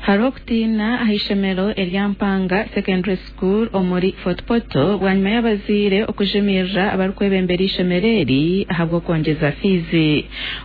Hariho okutiina aha ishomero erya Mpanga Secondary School omuri Fort Portal bwanyima y'abazaire okujumirira abarikwebembera eishomero eri ahabw'okwongyeza fiizi.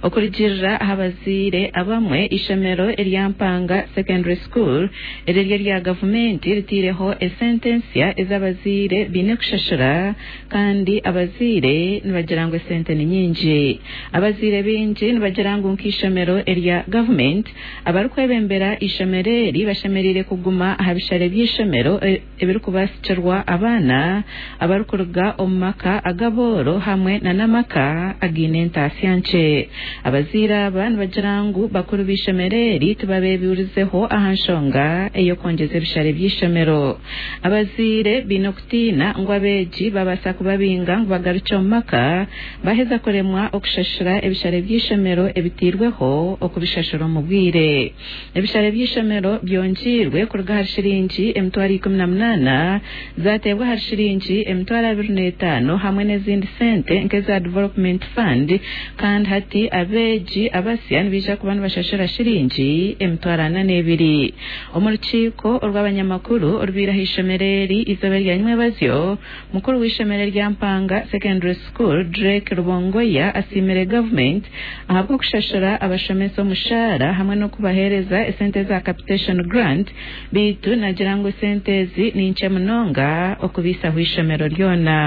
Okurugiirira aha bazaire abamwe, eishomero erya Mpanga Secondary School eriri erya gavumenti ritaireho esente ensya ezi abazaire baine kushashura kandi abazaire nibagira ngu esente ni nyingi. Abazaire baingi nibagira ngu nk'eishomero erya gavumenti, Abarikwebembera eishomero eri bashemereire kuguma aha bishare by'eishomero ebirikubaasikirwa abaana abarikuruga omu maka ag'abooro hamwe n'amaka againe entaasya nkye. Abazaire aba nibagira ngu bakuru b'eishomero eri tibabeebuurizeho aha nshonga ey'okwongyeza ebishare by'eishomero. Abazaire baine okutiina ngu abeegi babaasa kubabinga ngu bagarukye omu maka Baaheza kuremwa okushashura ebishare by'eishomero ebiteirweho okubishashura omu bwire. Ebishare by'eishomero byongyeirwe kuruga ahari shiringi 18,000 zaateebwa ahari shiringi 25,000 hamwe n'ezindi sente nk'eza Development Fund kandi hati abeegi abasya nibaija kuba nibashashura shiringi 42,000. Omu rukiiko orw'abanyamakuru orubaire aha ishomero eri eizooba erya nyimwebazyo, Mukuru w'eishomero erya Mpanga Secondary School, Drake Rubongoya asiimire gavumenti ahabw'okushashura abashomesa omushaara hamwe n'okubaheereza esente eza capitation grant beitu nagira ngu esente ezi ni nkye munonga okubaisaho eishomero ryona.